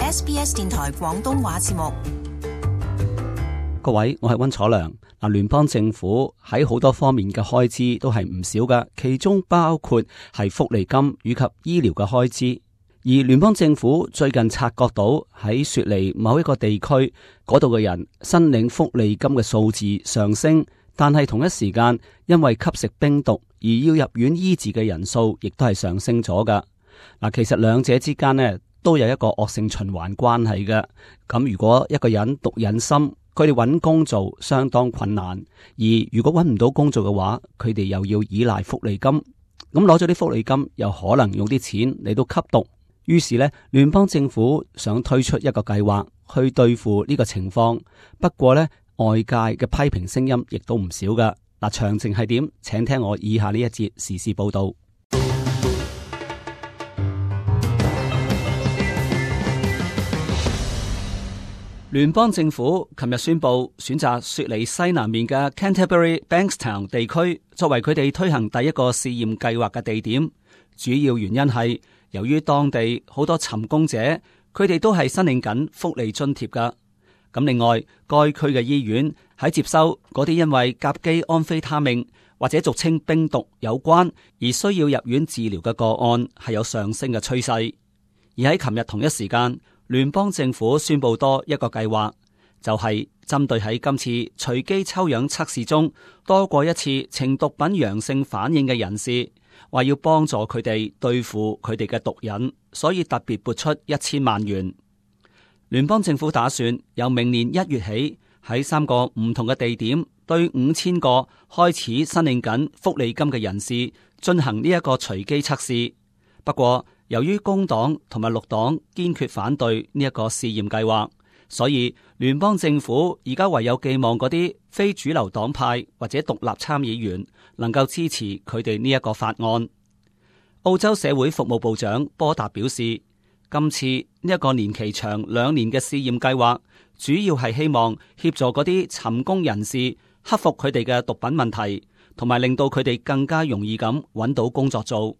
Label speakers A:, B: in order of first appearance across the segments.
A: SBS 電台廣東話節目。
B: 各位，我係溫楚良。聯邦政府喺好多方面嘅開支都係唔少㗎，其中包括係福利金以及醫療嘅開支。而聯邦政府最近察覺到喺雪梨某一個地區嗰度嘅人申領福利金嘅數字上升，但係同一時間因為吸食冰毒而要入院醫治嘅人數亦都係上升咗㗎。其實兩者之間呢都有一個惡性循環關係嘅。咁如果一個人毒癮深，佢哋揾工做相當困難，而如果揾唔到工作嘅話，佢哋又要依賴福利金，咁攞咗啲福利金又可能用啲錢嚟到吸毒，於是呢，聯邦政府想推出一個計劃去對付呢個情況。不過呢，外界嘅批評聲音亦都唔少噶。詳情係點？請聽我以下呢一節時事報道。聯邦政府琴日宣布選擇雪梨西南面嘅 Canterbury Bankstown 地區作為佢哋推行第一個試驗計劃嘅地點。主要原因係由於當地好多尋工者，佢哋都係申領緊福利津貼噶。咁另外，該區嘅醫院喺接收嗰啲因為甲基安非他命或者俗稱冰毒有關而需要入院治療嘅個案係有上升嘅趨勢。而喺琴日同一時間，聯邦政府宣布多一個計劃，就係針對喺今次隨機抽樣測試中多過一次呈毒品陽性反應嘅人士，話要幫助佢哋對付佢哋嘅毒癮，所以特別撥出1000萬元。聯邦政府打算由明年1月起喺3個唔同嘅地點對5000個開始申領緊福利金嘅人士進行呢一個隨機測試。不過由於工黨同埋綠黨堅決反對呢一個試驗計劃，所以聯邦政府而家唯有寄望嗰啲非主流黨派或者獨立參議員能夠支持佢哋呢一個法案。澳洲社會服務部長波達表示，今次呢一個年期長2年嘅試驗計劃，主要係希望協助嗰啲尋工人士克服佢哋嘅毒品問題，同埋令到佢哋更加容易咁揾到工作做。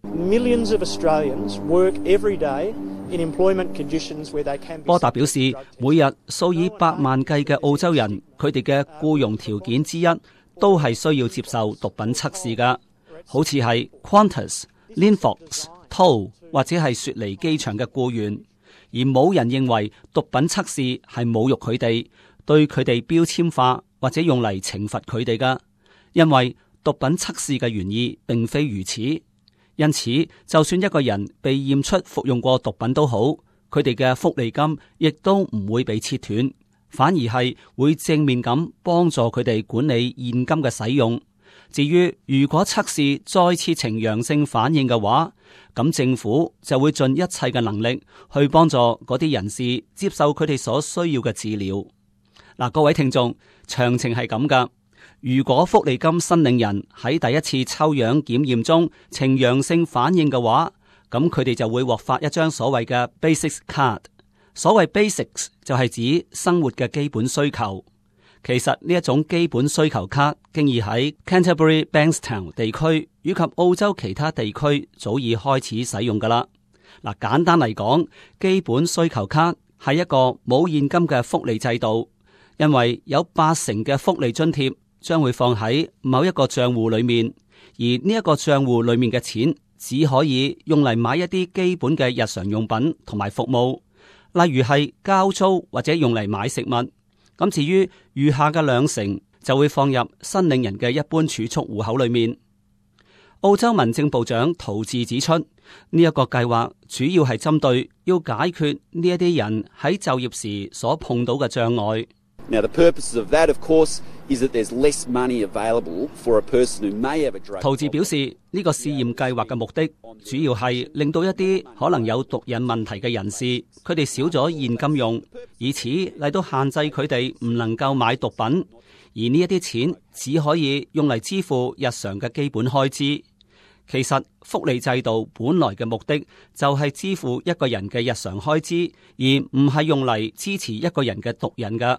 B: 波達表示，每日數以百萬計嘅澳洲人，佢哋嘅僱傭條件之一都係需要接受毒品測試噶，好似係 Qantas、Linfox、Toll 或者係雪梨機場嘅僱員，而冇人認為毒品測試係侮辱佢哋，對佢哋標籤化或者用嚟懲罰佢哋噶，因為毒品測試嘅原意並非如此。因此，就算一個人被驗出服用過毒品都好，佢哋嘅福利金亦都唔會被切斷，反而係會正面咁幫助佢哋管理現金嘅使用。至於如果測試再次呈陽性反應嘅話，咁政府就會盡一切嘅能力去幫助嗰啲人士接受佢哋所需要嘅治療。各位聽眾，詳情係咁噶。如果福利金申領人喺第一次抽樣檢驗中呈陽性反應嘅話，咁佢哋就會獲發一張所謂嘅 Basics Card。所謂 Basics 就係指生活嘅基本需求。其實呢一種基本需求卡經已喺 Canterbury Bankstown 地區以及澳洲其他地區早已開始使用噶啦。簡單嚟講，基本需求卡係一個冇現金嘅福利制度，因為有80%嘅福利津貼將會放喺某一個賬戶裏面，而呢一個賬戶裏面嘅錢只可以用嚟買一啲基本嘅日常用品同埋服務，例如係交租或者用嚟買食物。咁至於餘下嘅2成就會放入申領人嘅一般儲蓄戶口裏面。澳洲民政部長陶治指出，呢一個計劃主要係針對要解決呢一啲人喺就業時所碰到嘅障礙。
C: Now, the purpose of that, of course, is that there's less money available for a person who may have a drug problem.
B: 陶治表示，呢個試驗計劃嘅目的主要係令到一啲可能有毒癮問題嘅人士，佢哋少咗現金用，以此嚟到限制佢哋唔能夠買毒品，而呢一啲錢只可以用嚟支付日常嘅基本開支。其實福利制度本來嘅目的就係支付一個人嘅日常開支，而唔係用嚟支持一個人嘅毒癮㗎。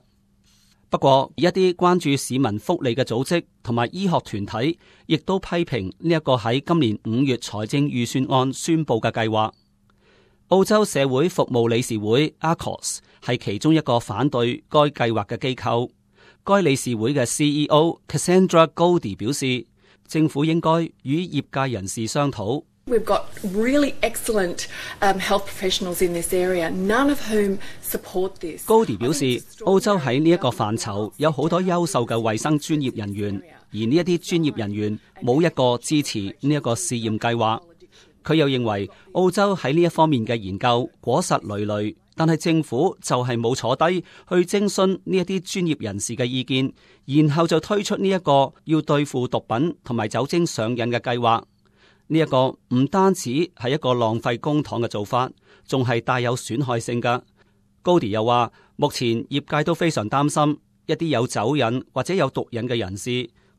B: 不過，一啲關注市民福利嘅組織同埋醫學團體，亦都批評呢一個喺今年5月財政預算案宣布嘅計劃。澳洲社會服務理事會 ACOS 係其中一個反對該計劃嘅機構。該理事會嘅 CEO Cassandra Goldie 表示，政府應該與業界人士商討。
D: We've got really excellent health professionals in this area, none of whom support this.
B: Goldie 表示，澳洲喺呢一個範疇有好多優秀嘅衛生專業人員，而呢一啲專業人員冇一個支持呢一個試驗計劃。佢又認為澳洲喺呢一方面嘅研究果實累累，但係政府就係冇坐低去徵詢呢一啲專業人士嘅意見，然後就推出呢一個要對付毒品同埋酒精上癮嘅計劃。呢一個唔單止係一個浪費公帑嘅做法，仲係帶有損害性㗎。高迪又話，目前業界都非常擔心一啲有酒癮或者有毒癮嘅人士，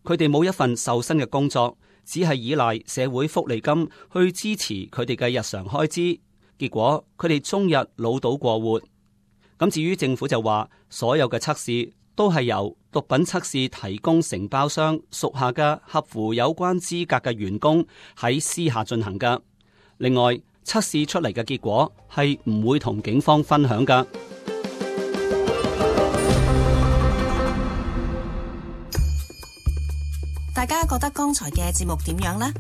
B: 佢哋冇一份受薪嘅工作，只係依賴社會福利金去支持佢哋嘅日常開支，結果佢哋終日潦倒過活。咁至於政府就話，所有嘅測試都係由毒品測試提供承包商屬下嘅合乎有關資格嘅員工喺私下進行㗎。另外，測試出嚟嘅結果係唔會同警方分享㗎。
A: 大家覺得剛才嘅節目點樣呢？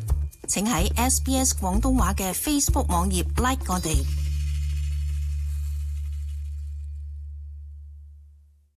A: 請喺SBS 廣東話嘅 Facebook 網頁 like 我哋。